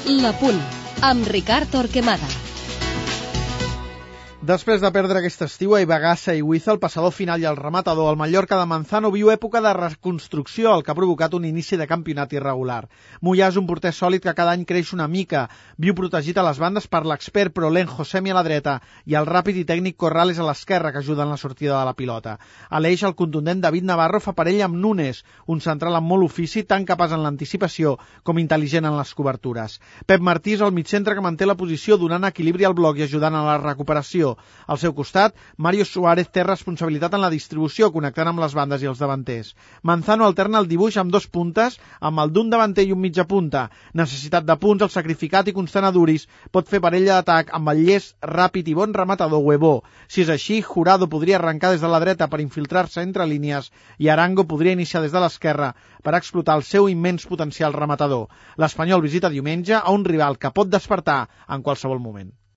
La Punt, amb Ricard Torquemada. Després de perdre aquest estiu a Ibagassa i Ibiza, el passador final i el rematador, el Mallorca de Manzano viu època de reconstrucció, el que ha provocat un inici de campionat irregular. Moyà és un porter sòlid que cada any creix una mica, viu protegit a les bandes per l'expert Prolen Josemi a la dreta i el ràpid i tècnic Corrales a l'esquerra, que ajuda en la sortida de la pilota. A l'eix, el contundent David Navarro fa parella amb Núñez, un central amb molt ofici, tan capaç en l'anticipació com intel·ligent en les cobertures. Pep Martí és el migcentre que manté la posició, donant equilibri al bloc i ajudant a la recuperació. Al seu costat, Mario Suárez té responsabilitat en la distribució, connectant amb les bandes i els davanters. Manzano alterna el dibuix amb dos puntes, amb el d'un davanter i un mitja punta. Necessitat de punts, el sacrificat i constant a Duris pot fer parella d'atac amb el llest, ràpid i bon rematador Huevó. Si és així, Jurado podria arrencar des de la dreta per infiltrar-se entre línies i Arango podria iniciar des de l'esquerra per explotar el seu immens potencial rematador. L'Espanyol visita diumenge a un rival que pot despertar en qualsevol moment.